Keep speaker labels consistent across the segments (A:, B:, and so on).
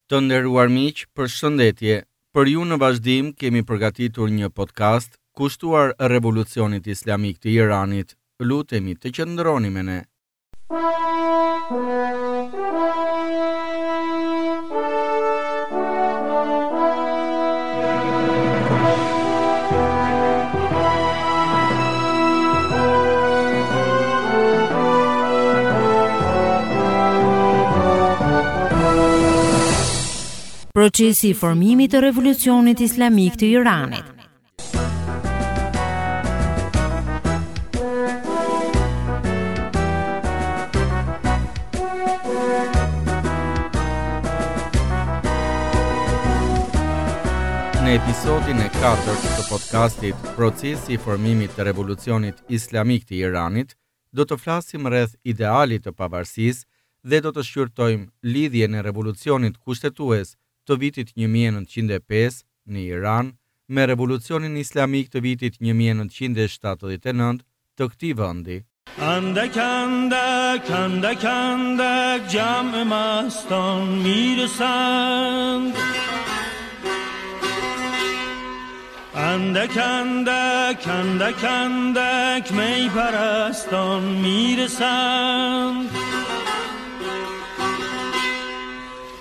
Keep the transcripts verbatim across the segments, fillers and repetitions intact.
A: Të nderuar miq, përshëndetje. Për ju në vazhdim kemi përgatitur një podcast kushtuar Revolucionit Islamik të Iranit. Lutemi të qëndroni me ne.
B: Procesi i formimit të Revolucionit Islamik të Iranit.
A: Në episodin e katërt të podcastit Procesi i formimit të Revolucionit Islamik të Iranit, do të flasim rreth idealit të pavarësisë dhe do të shqyrtojmë lidhjen e revolucionit kushtetues të vitit një mijë e nëntëqind e pesë në Iran me revolucionin islamik të vitit një mijë e nëntëqind e shtatëdhjetë e nëntë të këtij vendi.
C: Andak, andak, andak, andak, jam e maston miresand. Andak, andak, andak, andak, mey paraston miresand.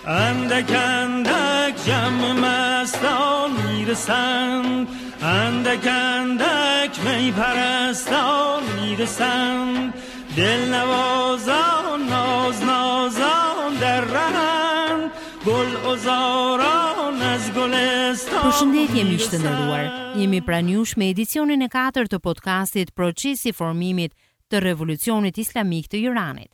C: Andak, andak, jam e maston miresand. Andak, andak, mey paraston miresand. Del nawazan, naz, nazan der rahand. Gul uzaran az gulestan
B: Përshëndetje miq të nderuar. Jemi pranë jush me edicionin e katërt të podcastit Procesi i formimit të Revolucionit Islamik të Iranit.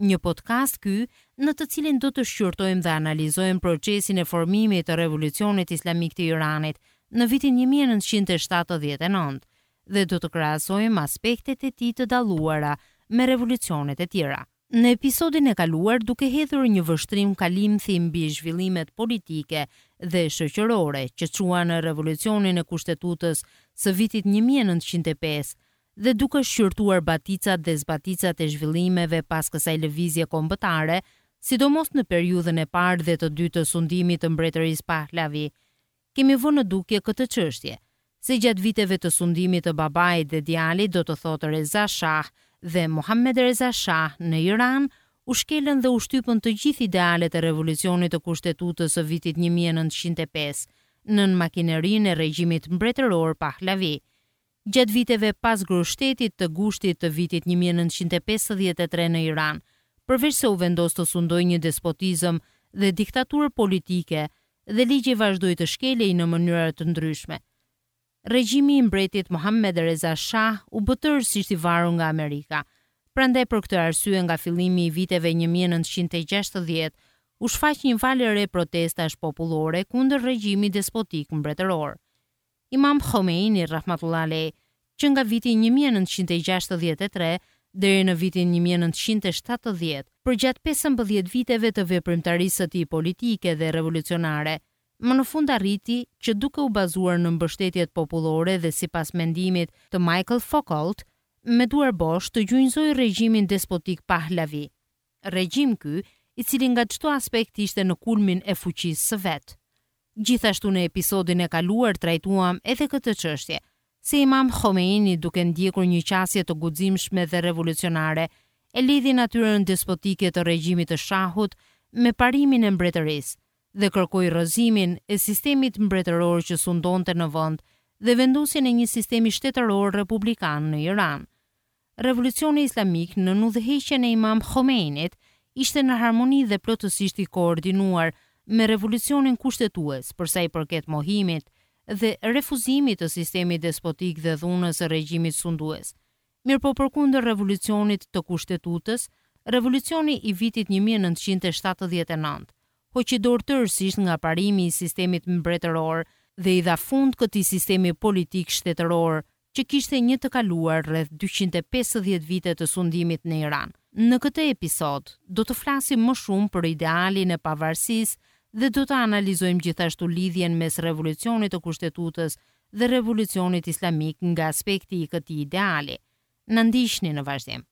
B: Një podcast ky në të cilin do të shqyrtojmë dhe analizojmë procesin e formimit të Revolucionit Islamik të Iranit në vitin një mijë e nëntëqind e shtatëdhjetë e nëntë dhe do të krahasojmë aspektet e tij të dalluara me revolucionet e tjera. Në episodin e kaluar, duke hedhur një vështrim kalimthi mbi zhvillimet politike dhe shoqërore që çuan në revolucionin e kushtetutës së vitit një mijë e nëntëqind e pesë dhe duke shqyrtuar baticat dhe zbaticat e zhvillimeve pas kësaj lëvizje kombëtare, sidomos në periudhën e parë dhe të dytë të sundimit të mbretërisë Pahlavi, kemi vënë në dukje këtë çështje, se gjatë viteve të sundimit të babait dhe djalit, do të thotë Reza Shah dhe Mohammed Reza Shah në Iran, u shkelën dhe u shtypën të gjithë idealet e revolucionit të kushtetutës së vitit një mijë e nëntëqind e pesë nën makinerinë e regjimit mbretëror Pahlavi. Gjatë viteve pas grushtetit të gushtit të vitit një mijë e nëntëqind e pesëdhjetë e tre në Iran, përveç se u vendos të sundojë një despotizëm dhe diktaturë politike, dhe ligji vazhdoi të shkelej në mënyra të ndryshme. Regjimi i mbretit Mohammed Reza Shah u bë tërësisht i varur nga Amerika. Prandaj për këtë arsye nga fillimi i viteve një mijë e nëntëqind e gjashtëdhjetë u shfaq një valë e re protestash popullore kundër regjimit despotik mbretëror. Imam Khomeini rahmatullah alayh, që nga viti një mijë e nëntëqind e gjashtëdhjetë e tre deri në vitin një mijë e nëntëqind e shtatëdhjetë, përgjatë pesëmbëdhjetë viteve të veprimtarisë së tij politike dhe revolucionare, më në fund arriti që duke u bazuar në mbështetjet popullore dhe sipas mendimit të Michael Foucault, me duar bosh të gjunjëzoi regjimin despotik Pahlavi. Regjim ky, i cili nga çdo aspekt ishte në kulmin e fuqisë së vet. Gjithashtu në episodin e kaluar trajtuam edhe këtë çështje, se Imam Khomeini duke ndjekur një qasje të guximshme dhe revolucionare, e lidhi natyrën despotike të regjimit të Shahut me parimin e mbretërisë dhe kërkoi rrëzimin e sistemit mbretëror që sundonte në vend dhe vendosjen e një sistemi shtetëror republikan në Iran. Revolucioni Islamik në udhëheqjen e Imam Khomeinit ishte në harmoni dhe plotësisht i koordinuar me revolucionin kushtetues për sa i përket mohimit dhe refuzimit të sistemit despotik dhe dhunës së regjimit sundues. Mirëpo përkundër revolucionit të kushtetutës, revolucioni i vitit një mijë e nëntëqind e shtatëdhjetë e nëntë hoqi dorë tërësisht nga parimi i sistemit mbretëror dhe i dha fund këtij sistemi politik shtetëror që kishte një të kaluar rreth dyqind e pesëdhjetë vite të sundimit në Iran. Në këtë episod do të flasim më shumë për idealin e pavarësisë dhe do të analizojmë gjithashtu lidhjen mes revolucionit të kushtetutës dhe revolucionit islamik nga aspekti i këtij ideali. Na ndiqni në vazhdim.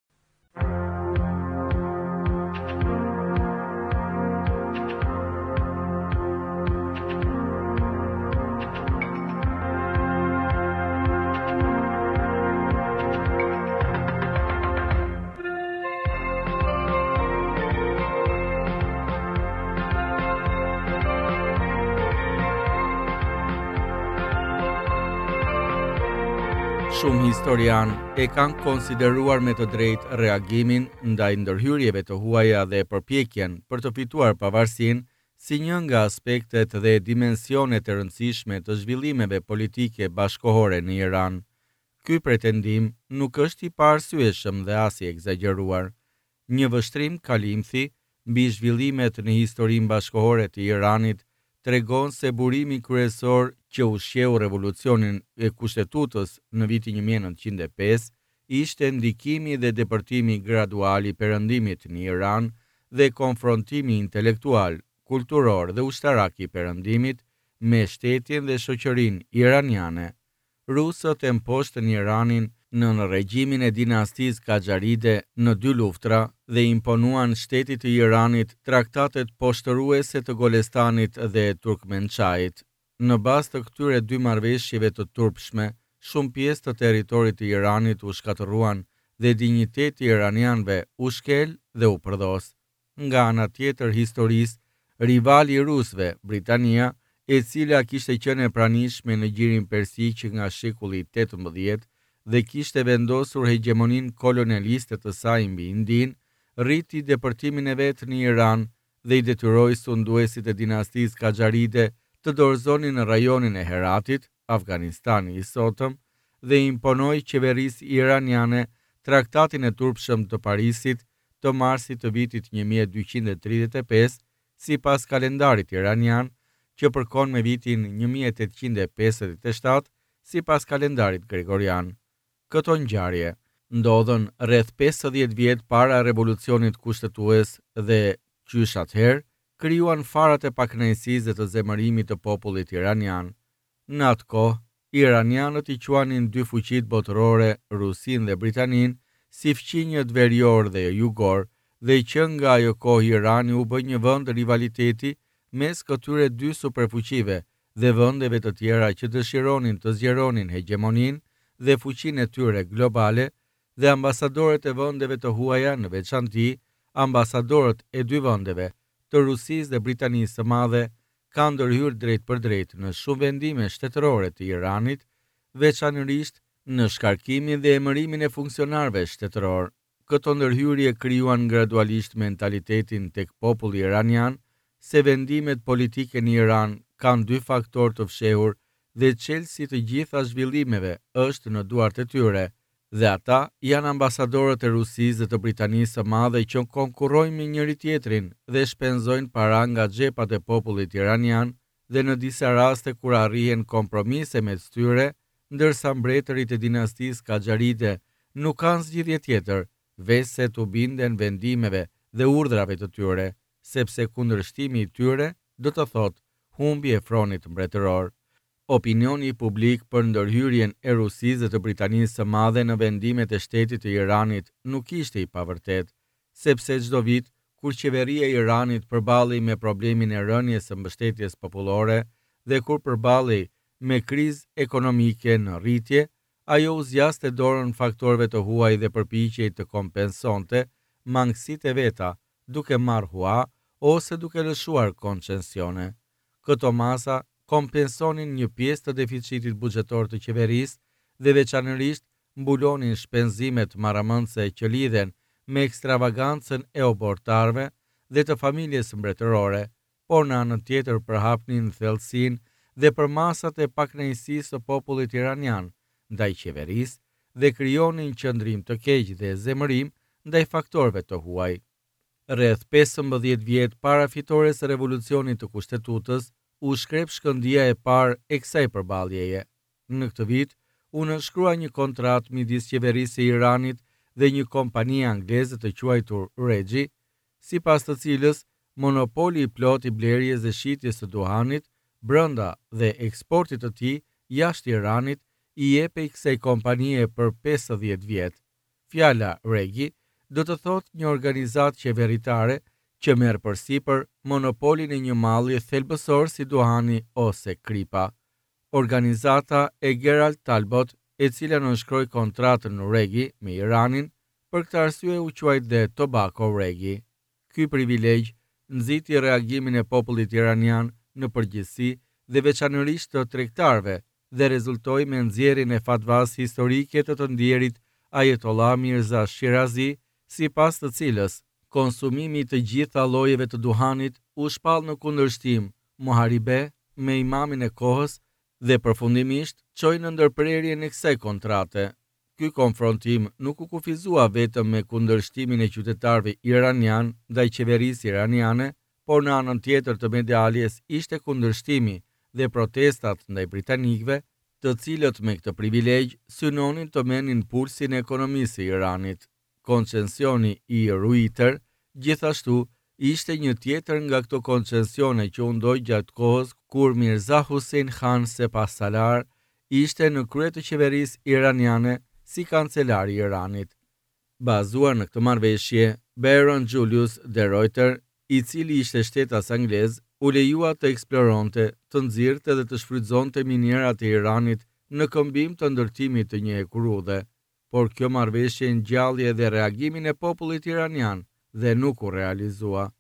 A: Shumë historianë e kanë konsideruar me të drejtë reagimin ndaj ndërhyrjeve të huaja dhe përpjekjen për të fituar pavarësinë si një nga aspektet dhe dimensionet e rëndësishme të zhvillimeve politike bashkohore në Iran. Ky pretendim nuk është i paarsyeshëm dhe as i ekzagjeruar. Një vështrim kalimthi mbi zhvillimet në historinë bashkohore të Iranit tregon se burimi kryesor që ushqeu revolucionin e kushtetutës në vitin një mijë e nëntëqind e pesë ishte ndikimi dhe depërtimi gradual i perëndimit në Iran dhe konfrontimi intelektual, kulturor dhe ushtarak i perëndimit me shtetin dhe shoqërinë iraniane. Rusët e mposhtën Iranin nën regjimin e dinastisë Kaxharide në dy luftra dhe imponuan shtetit të Iranit traktatet poshtëruese të Golestanit dhe Turkmençajit. Në bazë të këtyre dy marrëveshjeve të turpshme, shumë pjesë të territorit të Iranit u shkatërruan dhe dinjiteti i iranianëve u shkel dhe u përdhos. Nga ana tjetër historisë, rivali i rusëve, Britania, e cila kishte qenë e pranishme në gjirin Persi që nga shekulli tetëmbëdhjetë dhe kishte vendosur hegjemoninë kolonialiste të saj mbi Indinë, rriti depërtimin e vet në Iran dhe i detyroi sunduesit e dinastisë Kaxharide të dorëzonin në rajonin e Heratit, Afganistani i sotëm, dhe imponoi qeverisë iraniane traktatin e turpshëm të Parisit të marsit të vitit një mijë e dyqind e tridhjetë e pesë, sipas kalendarit iranian, që përkon me vitin një mijë e tetëqind e pesëdhjetë e shtatë, sipas kalendarit gregorian. Këto ngjarje ndodhën rreth pesëdhjetë vjet para revolucionit kushtetues dhe qysh atëherë krijuan farat e pakënaqësisë dhe të zemërimit të popullit iranian. Në atë kohë, iranianët i quanin dy fuqitë botërore, Rusinë dhe Britaninë, si fqinjët verior dhe jugor, dhe që nga ajo kohë Irani u bë një vend rivaliteti mes këtyre dy superfuqive dhe vendeve të tjera që dëshironin të zgjeronin hegjemoninë dhe fuqinë e tyre globale, dhe ambasadorët e vendeve të huaja, në veçanti ambasadorët e dy vendeve, të Rusisë dhe Britanisë së Madhe, kanë ndërhyrë drejt për drejt në shumë vendime shtetërore të Iranit, veçanërisht në shkarkimin dhe emërimin e funksionarëve shtetëror. Këto ndërhyrje krijuan gradualisht mentalitetin tek populli iranian se vendimet politike në Iran kanë dy faktorë të fshehur dhe çelësi të gjitha zhvillimeve është në duart e tyre, dhe ata janë ambasadorët e Rusisë dhe të Britanisë së Madhe që konkurrojnë me njëri tjetrin dhe shpenzojnë para nga xhepat e popullit iranian dhe në disa raste kur arrihen kompromise mes tyre, ndërsa mbretërit e dinastisë Kaxharide nuk kanë zgjidhje tjetër, veçse t'u binden vendimeve dhe urdhrave të tyre, sepse kundërshtimi i tyre do të thotë humbje e fronit mbretëror. Opinioni publik për ndërhyrjen e Rusisë dhe të Britanisë së Madhe në vendimet e shtetit të Iranit nuk ishte i pavërtet, sepse çdo vit kur qeveria e Iranit përballej me problemin e rënies së mbështetjes popullore dhe kur përballej me krizë ekonomike në rritje, ajo u zgjaste dorën faktorëve të huaj dhe përpiqej të kompensonte mangësitë e veta duke marrë hua ose duke lëshuar koncesione. Këto masa kompensonin një pjesë të deficitit buxhetor të qeverisë dhe veçanërisht mbulonin shpenzimet marramendëse që lidhen me ekstravagancën e obortarëve dhe të familjes mbretërore, por në anën tjetër përhapnin thellësinë dhe përmasat e pakënaqësisë së popullit iranian ndaj qeverisë dhe krijonin qëndrim të keq dhe zemërim ndaj faktorëve të huaj. Rreth pesëmbëdhjetë vjet para fitores së revolucionit të kushtetutës, u shkrep shkëndia e parë e kësaj përballjeje. Në këtë vit, u nënshkrua një kontratë midis qeverisë së Iranit dhe një kompanie angleze të quajtur Regi, sipas të cilës monopoli i plot i blerjes dhe shitjes së duhanit brenda dhe eksportit të tij jashtë Iranit i jepej kësaj kompanie për pesëdhjetë vjet. Fjala Regi do të thotë një organizatë qeveritare që merr përsipër monopolin e një malli thelbësor si duhani ose kripa. Organizata e Gerald Talbot, e cila nënshkroi kontratën Regi me Iranin, për këtë arsye u quajt dhe Tobacco Regi. Ky privilegj nxiti reagimin e popullit iranian në përgjithësi dhe veçanërisht të tregtarëve dhe rezultoi me nxjerrjen e fatvas historike të të ndjerit Ayatollah Mirza Shirazi, sipas të cilës konsumimi i të gjitha llojeve të duhanit u shpall në kundërshtim muharibe me imamin e kohës dhe përfundimisht çoi në ndërprerjen e kësaj kontrate. Ky konfrontim nuk u kufizua vetëm me kundërshtimin e qytetarëve iranian ndaj qeverisë iraniane, por në anën tjetër të medaljes ishte kundërshtimi dhe protestat ndaj britanikëve, të cilët me këtë privilegj synonin të merrnin pulsin e ekonomisë së Iranit. Koncesioni i Reuter gjithashtu ishte një tjetër nga këto koncesione që u ndodh gjatë kohës kur Mirza Hussein Khan Sepahsalar ishte në krye të qeverisë iraniane si kancelar i Iranit. Bazuar në këtë marrëveshje, Baron Julius de Reuter, i cili ishte shtetas anglez, u lejua të eksploronte, të nxirrte dhe të shfrytëzonte minierat e Iranit në këmbim të ndërtimit të një hekurudhe. Por kjo marrëveshje ngjalli edhe reagimin e popullit iranian dhe nuk u realizua.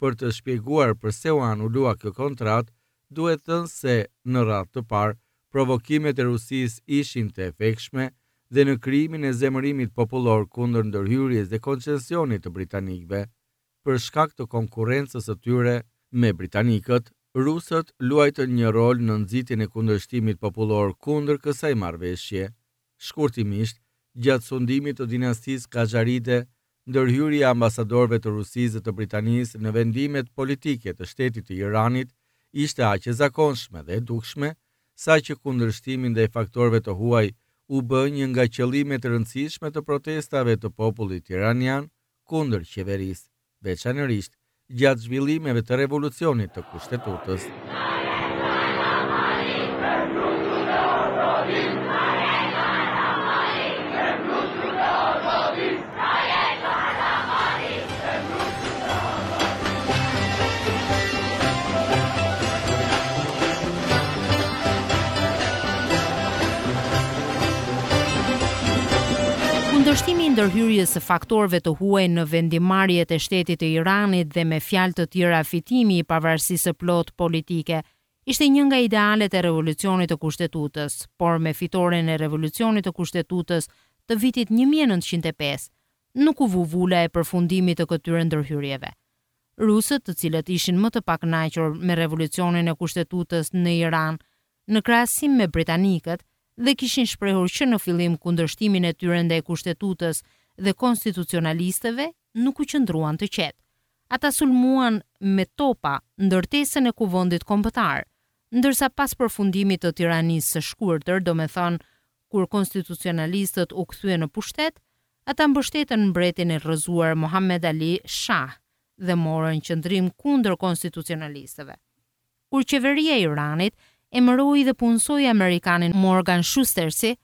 A: Për të shpjeguar përse u anulua kjo kontratë, duhet thënë se, në radhë të parë, provokimet e Rusisë ishin të efektshme dhe në krijimin e zemërimit popullor kundër ndërhyrjes dhe koncesionit të britanikëve. Për shkak të konkurrencës së tyre me britanikët, rusët luajtën një rol në nxitjen e kundërshtimit popullor kundër kësaj marrëveshje. Shkurtimisht, gjatë sundimit të dinastisë Kajaride, ndërhyrja e ambasadorëve të Rusisë dhe të Britanisë në vendimet politike të shtetit të Iranit ishte aq e zakonshme dhe e dukshme, saqë kundërshtimi ndaj faktorëve të huaj u bë një nga qëllimet e rëndësishme të protestave të popullit iranian kundër qeverisë, veçanërisht gjatë zhvillimeve të revolucionit të kushtetutës.
B: Kundërshtimi i ndërhyrjes së faktorëve të huaj në vendimarrjet e shtetit të Iranit dhe me fjalë të tjera fitimi i pavarësisë së plotë politike ishte një nga idealet e revolucionit të kushtetutës, por me fitoren e revolucionit të kushtetutës të vitit një mijë e nëntëqind e pesë nuk u vu vula e përfundimit të këtyre ndërhyrjeve. Rusët, të cilët ishin më të pakënaqur me revolucionin e kushtetutës në Iran, në krahasim me britanikët, dhe kishin shprehur që në fillim kundërshtimin e tyre ndaj kushtetutës dhe konstitucionalistëve, nuk u qëndruan të qetë. Ata sulmuan me topa ndërtesën e Kuvendit Kombëtar, ndërsa pas përfundimit të tiranisë së shkurtër, domethënë kur konstitucionalistët u kthyen në pushtet, ata mbështetën mbretin e rrëzuar Muhammed Ali Shah dhe morën qëndrim kundër konstitucionalistëve. Kur qeveria e Iranit emëroi dhe punësoi amerikanin Morgan Schustersi,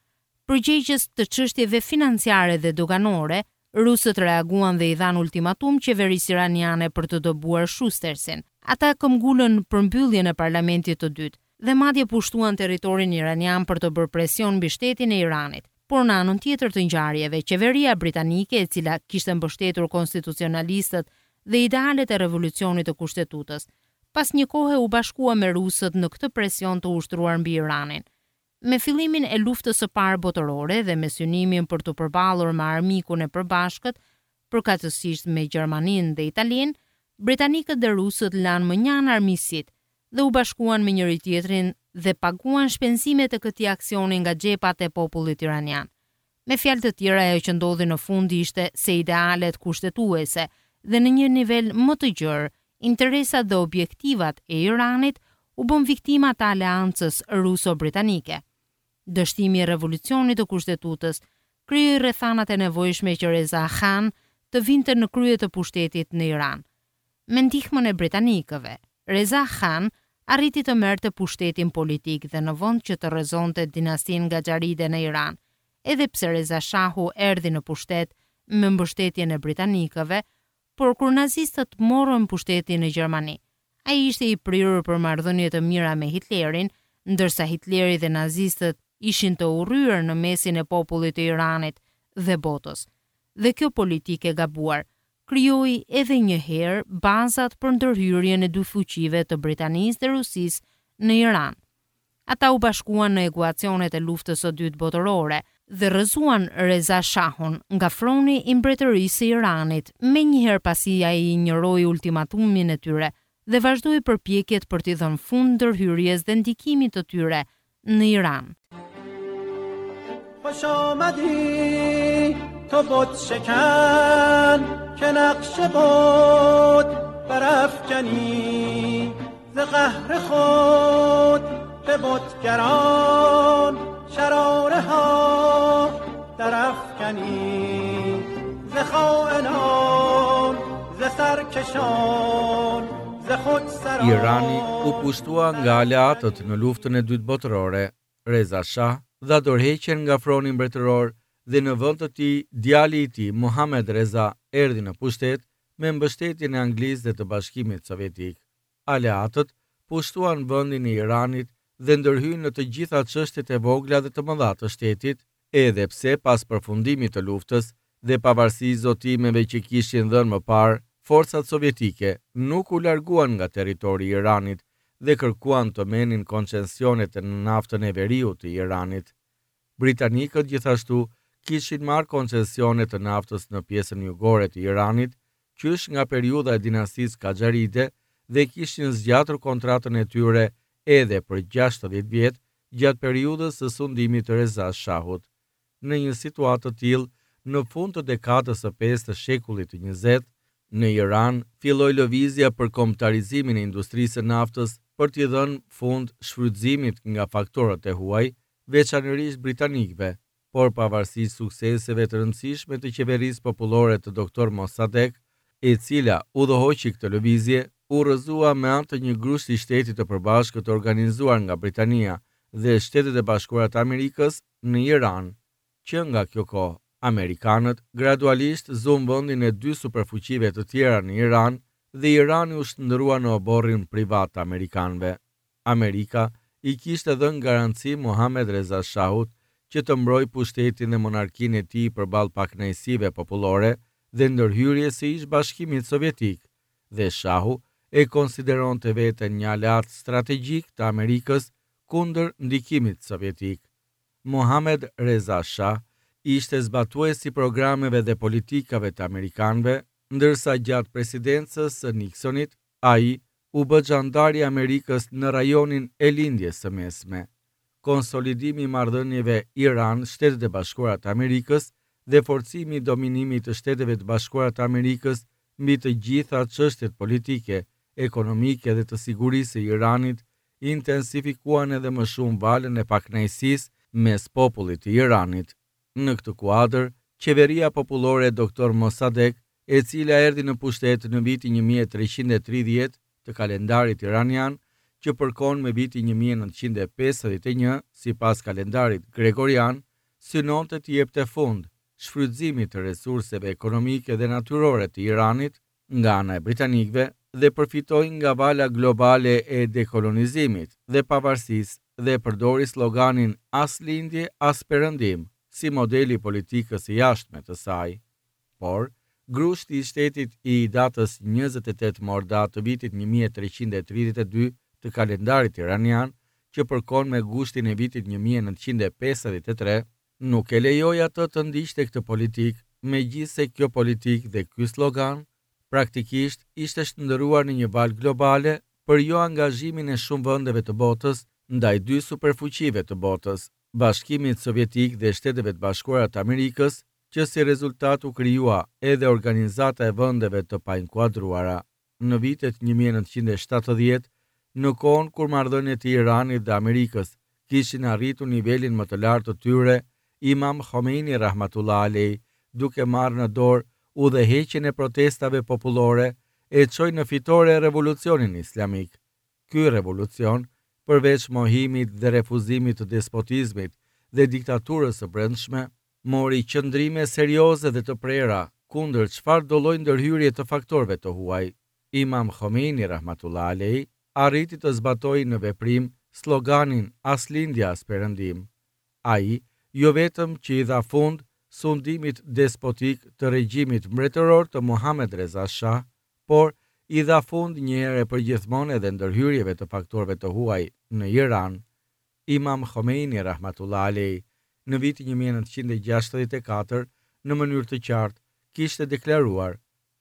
B: përgjegjës të çështjeve financiare dhe doganore, rusët reaguan dhe i dhanë ultimatum qeverisë iraniane për të dëbuar Schustersin. Ata këmbgulën përmbylljen e parlamentit të dytë dhe madje pushtuan territorin iranian për të bërë presion mbi shtetin e Iranit. Por në anën tjetër të ngjarjeve, qeveria britanike, e cila kishte mbështetur konstitucionalistët dhe idealet e revolucionit të kushtetutës, pas një kohe u bashkua me rusët në këtë presion të ushtruar mbi Iranin. Me fillimin e luftës së parë botërore dhe me synimin për t'u përballur me armikun e përbashkët, përkatësisht me Gjermaninë dhe Italinë, britanikët dhe rusët lanë më njanë armiqësitë dhe u bashkuan me njëri tjetrin dhe paguan shpenzimet e këtij aksioni nga xhepat e popullit iranian. Me fjalë të tjera, ajo që ndodhi në fund ishte se idealet kushtetuese dhe në një nivel më të gjerë, interesat dhe objektivat e Iranit u bën viktima të aleancës ruso-britanike. Dështimi i revolucionit të kushtetutës krijoi rrethanat e nevojshme që Reza Khan të vinte në krye të pushtetit në Iran. Me ndihmën e britanikëve, Reza Khan arriti të merrte pushtetin politik dhe në vend që të rrëzonte dinastinë Gajaride në Iran, edhe pse Reza Shahu erdhi në pushtet me mbështetjen e britanikëve, por kur nazistët morën pushtetin në Gjermani, ai ishte i prirur për marrëdhënie të mira me Hitlerin, ndërsa Hitleri dhe nazistët ishin të urryer në mesin e popullit të Iranit dhe botës. Dhe kjo politikë e gabuar krijoi edhe një herë bazat për ndërhyrjen e dy fuqive të Britanisë dhe Rusisë në Iran. Ata u bashkuan në ekuacionet e luftës së dytë botërore dhe rrëzuan Reza Shahun nga froni i mbretërisë së Iranit, menjëherë pasi ai injoroi ultimatumin e tyre dhe vazhdoi përpjekjet për t'i dhënë fund ndërhyrjes dhe ndikimit të tyre në Iran.
C: خوش آمدی تو بت شکن که نقش بت برافکنی ز قهر خود به بتگران شراره ها درافکنی ز خائنان ز سرکشان ز خود سران
A: Irani u pushtua nga aleatët në luftën e dytë botërore. Reza Shah dha dorëheqjen nga froni mbretëror dhe në vend të tij djali i tij Mohamed Reza erdhi në pushtet me mbështetjen e Anglisë dhe të Bashkimit Sovjetik. Aleatët pushtuan vendin e Iranit dhe ndërhynë në të gjitha çështjet e vogla dhe të mëdha të shtetit, edhe pse pas përfundimit të luftës dhe pavarësisht zotimeve që kishin dhënë më parë, forcat sovjetike nuk u larguan nga territori i Iranit dhe kërkuan të merrnin koncesionet në naftën e veriut të Iranit. Britanikët gjithashtu kishin marrë koncesione të naftës në pjesën jugore të Iranit, qysh nga periudha e dinastisë Kaxharide dhe kishin zgjatur kontratën e tyre edhe për gjashtëdhjetë vjet gjatë periudhës së sundimit të Reza Shahut. Në një situatë të tillë, në fund të dekadës së pestë të shekullit të njëzet, në Iran filloi lëvizja për kombëtarizimin e industrisë së naftës për t'i dhënë fund shfrytëzimit nga faktorët e huaj, veçanërisht britanikëve, por pavarësisht sukseseve të rëndësishme të qeverisë popullore të doktor Mossadegh, e cila udhëhoqi këtë lëvizje, u rrëzua me anë të një grushti shteti të përbashkët të organizuar nga Britania dhe Shtetet e Bashkuara të Amerikës në Iran. Që nga kjo kohë, amerikanët gradualisht zunë vendin e dy superfuqive të tjera në Iran dhe Irani u shndërrua në oborrin privat të amerikanëve. Amerika i kishte dhënë garanci Mohamed Reza Shahut që të mbrojë pushtetin dhe monarkinë e tij përballë pakënaqësive popullore dhe ndërhyrjes së ish Bashkimit Sovjetik, dhe Shahu e konsideronte veten një aleat strategjik të Amerikës kundër ndikimit sovjetik. Mohamed Reza Shah ishte zbatues i programeve dhe politikave të amerikanëve, ndërsa gjatë presidencës së Nixonit, ai u bë xhandar i Amerikës në rajonin e Lindjes së Mesme. Konsolidimi i marrëdhënieve Iran-Shtetet e Bashkuara të Amerikës dhe forcimi i dominimit të Shteteve të Bashkuara të Amerikës mbi të gjitha çështjet politike, ekonomike dhe të sigurisë së Iranit intensifikuan edhe më shumë valën e pakënaqësisë mes popullit të Iranit. Në këtë kuadër, qeveria popullore e doktor Mossadegh, e cila erdhi në pushtet në vitin një mijë e treqind e tridhjetë të kalendarit iranian, që përkon me vitin një mijë e nëntëqind e pesëdhjetë e një sipas kalendarit gregorian, synonte të jepte fund shfrytëzimit të resurseve ekonomike dhe natyrore të Iranit nga ana e britanikëve dhe përfitoi nga vala globale e dekolonizimit dhe pavarësisë dhe përdori sloganin as lindje as perëndim si modeli i politikës së jashtme të saj. Por, grushti i shtetit i datës njëzet e tetë Mordad të vitit një mijë e treqind e tridhjetë e dy të kalendarit iranian, që përkon me gushtin e vitit një mijë e nëntëqind e pesëdhjetë e tre, nuk e lejoi atë të ndiqte këtë politikë, megjithse kjo politikë dhe ky slogan praktikisht ishte shndërruar në një valë globale për jo angazhimin e shumë vendeve të botës ndaj dy superfuqive të botës, Bashkimit Sovjetik dhe Shteteve të Bashkuara të Amerikës, që si rezultat u krijua edhe organizata e vendeve të painkuadruara. Në vitet një mijë e nëntëqind e shtatëdhjetë, në kohën kur marrëdhëniet e Iranit dhe Amerikës kishin arritur nivelin më të lartë të tyre, Imam Khomeini rahmatullah alej, duke marrë në dorë udhëheqjen e protestave popullore, e çoi në fitore revolucionin islamik. Ky revolucion, përveç mohimit dhe refuzimit të despotizmit dhe diktaturës së brendshme, mori qëndrime serioze dhe të prera kundër çfarë do lloj ndërhyrje të faktorëve të huaj. Imam Khomeini rahmatullah alej arriti të zbatojë në veprim sloganin as lindja as perëndim. Ai jo vetëm që i dha fund sundimit despotik të regjimit mbretëror të Muhamed Reza Shah, por i dha fund një herë e përgjithmonë edhe ndërhyrjeve të faktorëve të huaj në Iran. Imam Khomeini rahmatullah alej, në vitin një mijë e nëntëqind e gjashtëdhjetë e katër, në mënyrë të qartë, kishte deklaruar: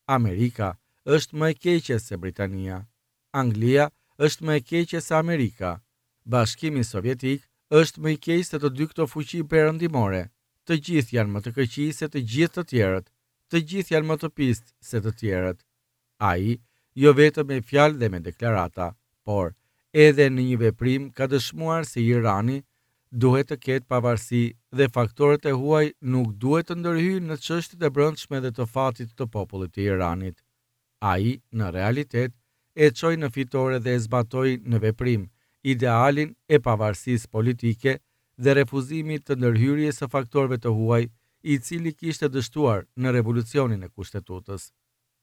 A: Amerika është më e keqe se Britania. Anglia është më e keqe se Amerika. Bashkimi Sovjetik është më i keq se të dy këto fuqi perëndimore. Të gjithë janë më të këqij se të gjithë të tjerët. Të gjithë janë më të pistë se të tjerët. Ai, jo vetëm me fjalë dhe me deklarata, por edhe në një veprim ka dëshmuar se Irani duhet të ketë pavarësi dhe faktorët e huaj nuk duhet të ndërhyjnë në çështjet e brendshme dhe të fatit të popullit të Iranit. Ai, në realitet, e çoi në fitore dhe e zbatoi në veprim idealin e pavarësisë politike dhe refuzimit të ndërhyrjes së faktorëve të huaj, i cili kishte dështuar në revolucionin e kushtetutës.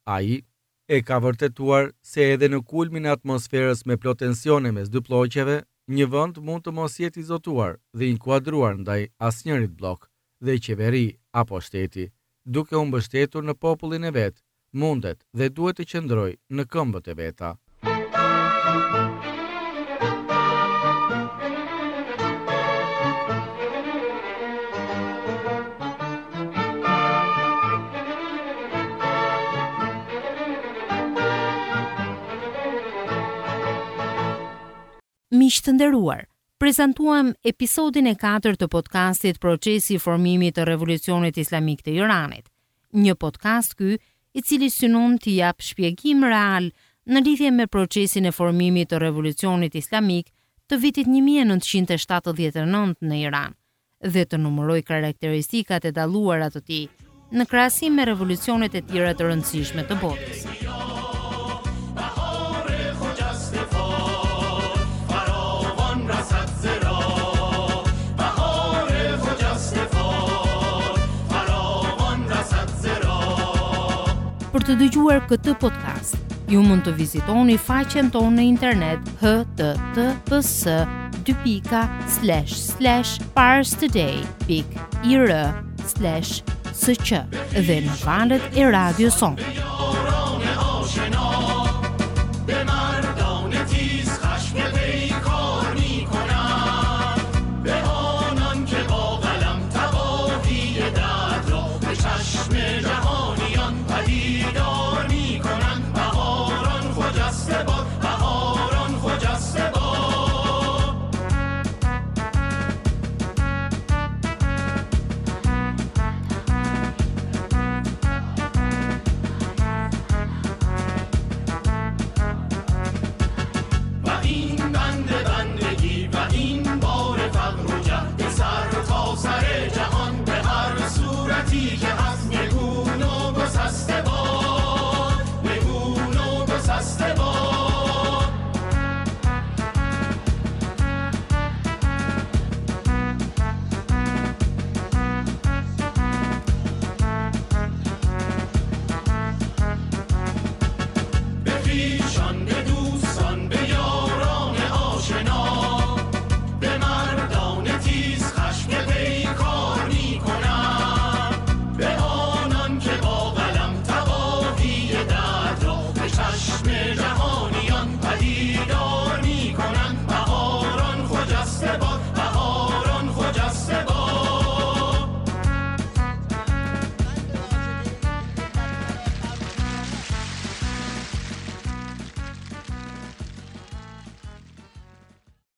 A: Ai e ka vërtetuar se edhe në kulmin e atmosferës me plot tensione mes dy blloqeve, një vend mund të mos jetë i zotuar dhe inkuadruar ndaj asnjërit bllok dhe qeveri apo shteti, duke u mbështetur në popullin e vet, mundet dhe duhet të qëndrojë në këmbët e veta.
B: Miq të nderuar, prezantuam episodin e katërt të podcastit Procesi i formimit të Revolucionit Islamik të Iranit, një podcast ky i cili synon të jap shpjegim real në lidhje me procesin e formimit të Revolucionit Islamik të vitit një mijë e nëntëqind e shtatëdhjetë e nëntë në Iran dhe të numëroj karakteristikat e dalluara të tij në krahasim me revolucionet e tjera të rëndësishme të botës. Për të dëgjuar këtë podcast, ju mund të vizitoni faqen tonë në internet h t t p s dy pika slash slash parstoday pik i r slash s q dhe në valët e radios sonë.